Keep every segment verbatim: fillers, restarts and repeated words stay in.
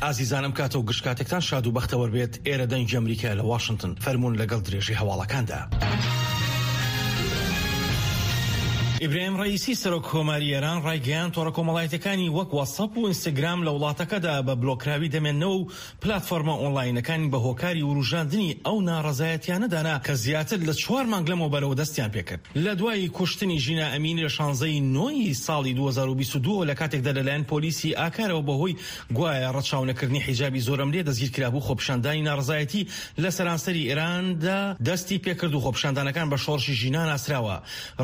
ئازیزانم، کاتە و گشت کاتێکتان شاد و بەختەوەر بێت. ئێرە دەنگی ئەمریکا لە واشنگتن. فەرموون لەگەڵ درێژی هەواڵەکاندا. ئیبراهیم ڕئیسی سەرۆک کۆماری ئێران ڕایگەیاند تۆڕە کۆمەڵایەتیەکانی وەک واتساپ و ئینستاگرام لە وڵاتەکەدا بە بلۆکراوی دەمێننەوە و پلاتفۆرمە ئۆنلاینەکانی بە هۆکاری وروژاندنی ئەو ناڕەزایەتیانە دانا کە زیاتر لە چوار مانگ لەمەوبەرەوە دەستیان پێکرد لە دوای کوشتنی ژینا ئەمینی لە شانزەی نۆی ساڵی دوو هەزار و بیست و دوو لە کاتێکدا لەلایەن پۆلیسی ئاکارەوە بەهۆی گوایە ڕەچاونەکردنی حیجابی زۆرەملێ دەستگیرکرابوو. خۆپیشاندانی ناڕەزایەتی لە سەرانسەری ئێراندا دەستی پێکرد و خۆپیشاندانەکان بە شۆڕشی ژینا ناسراوە.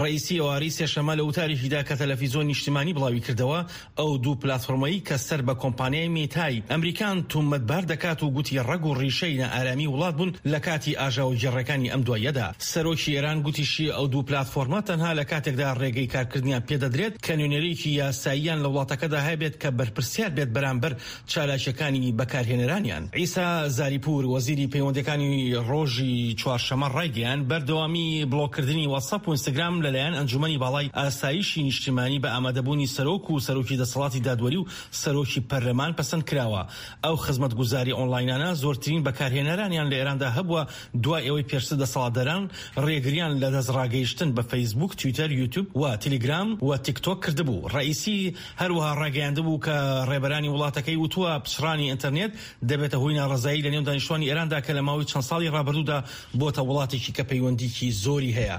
ڕئیسی ئێوارەی سێشەممە لە وتارێکیدا کە تەلەفیزیۆن نیشتیمانی بڵاوی کردەوە ئەو دوو پلاتفۆرمەی کە سەر بە کۆمپانیای میتای ئەمریکان تومەتبار دەکات و گوتی ڕەگ و ڕیشەی نائارامی وڵات بوون لە کاتی ئاژاوەگێڕەکانی ئەم دواییەدا. سەرۆکی ئێران گوتیشی ئەو دوو پلاتفۆرمە تەنها لە کاتێکدا ڕێگەی کارکردنیان پێدەدرێت کە نوێنەرێکی یاساییان لە وڵاتەکەدا هەبێت کە بەرپرسیار بێت بەرامبەر چالاکیەکانی بەکارهێنەرانیان. عیسا زاریپور وەزیری پەیوەندیەکانی ڕۆژی چوارشەممە ڕایگەیاند بەردەوامی بلۆککردنی واتساپ و ئینستاگرام لەلایەن ئەنجومەنی باڵای ئاسایشی نیشتیمانی بە ئامادەبوونی سەرۆک و سەرۆکی دەسەڵاتی دادوەری و سەرۆکی پەرلەمان پەسەند کراوە. ئەو خزمەتگوزاری ئۆنلاینانە زۆرترین بەکارهێنەرانیان لە ئێراندا هەبووە دوای ئەوەی پێشتر دەسەڵاتداران ڕێگریان لە دەستڕاگەیشتن بە فەیسبوک، تویتەر، یوتیوب و تەلەگرام و تیکتۆک کردبوو. ڕئیسی هەروەها ڕاگەیاندبوو کە ڕێبەرانی وڵاتەکەی وتووە پچڕانی ئینتەرنێت دەبێتە هۆی ناڕەزایی لە نێو دانیشتوانی ئێراندا کە لە ماوەی چەند ساڵی ڕابردوودا بۆتە وڵاتێکی کە پەیوەندیکی زۆری هەیە.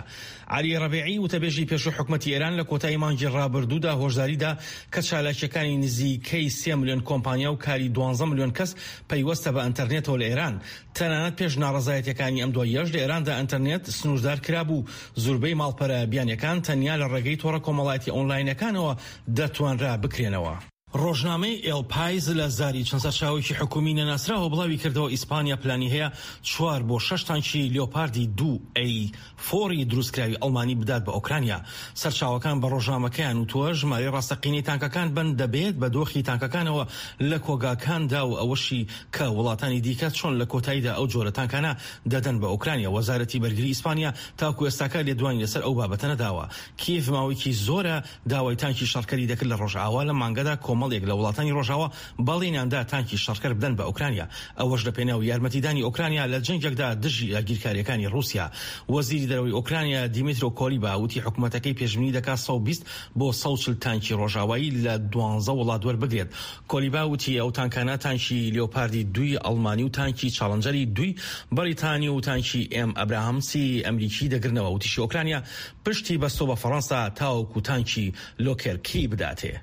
عەلی ڕەبیعی وتەبێژی پێشوو حکومەتی ئێران لە کۆتایی مانگی ڕابردوودا هۆشداریدا کە چالاکیەکانی نزیکەی سێ ملیۆن کۆمپانیا و کاری دوانزە ملیۆن کەس پەیوەستە بە ئینتەرنێتەوە لە ئێران. تەنانەت پێش ناڕەزایەتیەکانی ئەم دواییەش لە ئێراندا ئینتەرنێت سنووردار کرابوو. زۆربەی ماڵپەرە بیانیەکان تەنیا لە ڕێگەی تۆڕە کۆمەڵایەتی ئۆنلاینەکانەوە دەتوانرا بکرێنەوە. ڕۆژنامەی ئێل پایز لە زاری چەند سەرچاوەیەکی حکومی نەناسراوە بڵاوی کردەوە ئیسپانیا پلانی هەیە چوار بۆ شەش تانکی لیۆپاردی دوو ئەی فۆری دروستکراوی ئەڵمانی بدات بە ئۆکرانیا. سەرچاوەکان بە ڕۆژنامەکەیان وتووە ژمارەی ڕاستەقینەی تانکەکان بەند دەبێت بە دۆخی تانکەکانەوە لە کۆگاکاندا و ئەوەشی کە وڵاتانی دیکە چۆن لە کۆتاییدا ئەو جۆرە تانکانە دەدەن بە ئۆکرانیا. وەزارەتی بەرگری ئیسپانیا تاکو ئێستاکە لێدوانی لەسەر ئەو بابەتە نەداوە. کیێڤ ماوەیەکی زۆرە داوای تانکی شەڕکەری دەکرد لە ڕۆژئاوا. لە مانگەدا کۆمەڵێک لە وڵاتانی ڕۆژاوا بەڵێنیاندا تانکی شەڕکەر بدەن بە ئۆکرانیا، ئەوەش لە پێناو یارمەتیدانی ئۆکرانیا لە جەنگێکدا دژی داگیرکاریەکانی ڕووسیا. وەزیری دەرەوەی ئۆکرانیا دیمیترۆ کۆلیبا وتی حکوومەتەکەی پێشبینی دەکات سەد و بیست بۆ سەد و چل تانکی ڕۆژاوایی لە دوانزە وڵات وەربگرێت. کۆلیبا وتی ئەو تانکانە تانکی لیۆپاردی دووی ئەڵمانی و تانکی چاڵنجەری دووی بەریتانی و تانکی ئێم ئەبراهامسی ئەمریکی دەگرنەوە. وتیشی ئۆکرانیا پشتی بەستۆ بە فەڕەنسا تاوەکو تانکی لۆکێرکی بداتێ.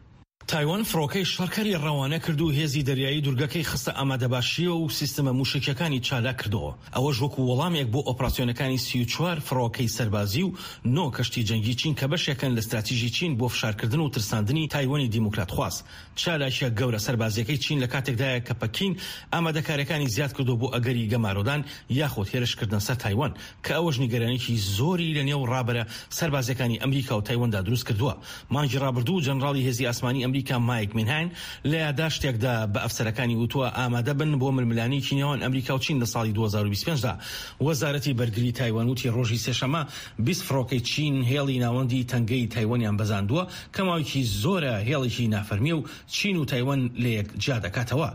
تایوان فڕۆکەی شەڕکەری ڕەوانە کرد و هێزی دەریایی دوورگەکەی خستە ئامادەباشیەوە و سیستەمە موشەکیەکانی چالاک کردەوە، ئەوەش وەکو وەڵامێک بۆ ئۆپراسیۆنەکانی سی و چوار فڕۆکەی سەربازی و نۆ کەشتی جەنگی چین کە بەشێکن لە ستراتیژی چین بۆ فشارکردن و ترساندنی تایوانی دیموکراتخواز. چالاکیە گەورە سەربازیەکەی چین لە کاتێکدایە کە پەکین ئامادەکاریەکانی زیاد کردو بۆ ئەگەری گەمارۆدان یاخود هێرشکردنە سەر تایوان، کە ئەوەش نیگەرانێکی زۆری لە نێو ڕابەرە سەربازیەکانی ئەمریکا و تایواندا دروست کردووە. مانگی ڕابردوو جەنراڵی هێزی ئاسمانی ئەمریکا مایک مینهاین لە یاداشتێکدا بە ئەفسەرەکانی وتووە ئامادە بن بۆ ململانێکی نێوان ئەمریکا و چین لە ساڵی دوو هەزار و بیست و پێنج دا. وەزارەتی بەرگری تایوان وتی ڕۆژی سێشەممە بیست فڕۆکەی چین هێڵی ناوەندی تەنگەی تایوانیان بەزاندووە کە ماوەیەکی زۆرە هێڵێکی نافەرمیە و چین و تایوان لەیەک جیا دەکاتەوە.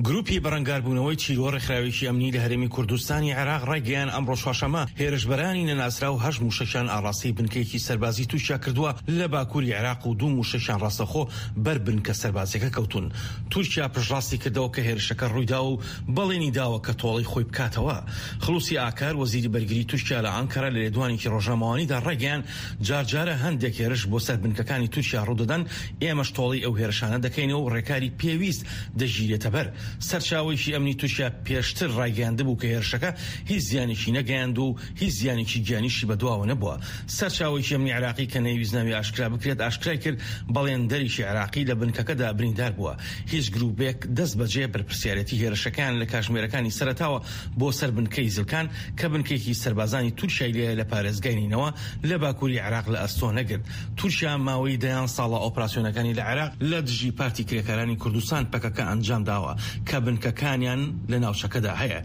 گروپی بەرەنگاربوونەوەی تیرۆر ڕێکخراوێکی ئەمنی لە هەرێمی کوردستانی عێراق ڕایگەیان ئەمڕۆ چوارشەممە هێرشبەرانی نەناسراو هەشت موشەکیان ئاڕاستەی بنکەیەکی سەربازی تورکیا کردووە لە باکووری عێراق و دوو موشەکیان ڕاستەخۆ بەر بنکە سەربازیەکە کەوتون. تورکیا پشتڕاستی کردەوە کە هێرشەکە ڕوویداوە و بەڵێنی داوە کە تۆڵەی خۆی بکاتەوە. خلوسی ئاکار وەزیری بەرگری تورکیا لە ئانکەرە لە لێدوانێکی ڕۆژنامەوانیدا ڕایگەیان جارجارە هەندێک هێرش بۆ سەر بنکەکانی تورکیا ڕوودەدەن، ئێمەش تۆڵەی ئەو هێرشانە دەکەینەوە و ڕێکاری پێویست دەگیرێتە بەر. سەرچاوەیەکی ئەمنی تورکیا پێشتر ڕایگەیاندبوو کە هێرشەکە هیچ زیانێکی نەگەیاند و هیچ زیانێکی گیانیشی بەدواوە نەبووە. سەرچاوەیەکی ئەمنی عێراقی کە نەیویست ناوی ئاشکرا بکرێت ئاشکرای کرد بەڵێندەرێکی عێراقی لە بنکەکەدا بریندار بووە. هیچ گروپێک دەست بەجێ بەرپرسیارەتی هێرشەکەیان لە کاژمێرەکانی سەرەتاوە بۆ سەر بنکەی زلکان کە بنکێکی سەربازانی تورکیای لێ لە پارێزگای نینەوە لە باکووری عێراق لە ئەستۆ نەگرت. تورکیا ماوەی دەیان ساڵە ئۆپراسیۆنەکانی لە عێراق لە دژی پارتی کرێکارانی کوردستان پەکەکە ئەنجام داوە کە بنکەکانیان لە ناوچەکەدا هەیە.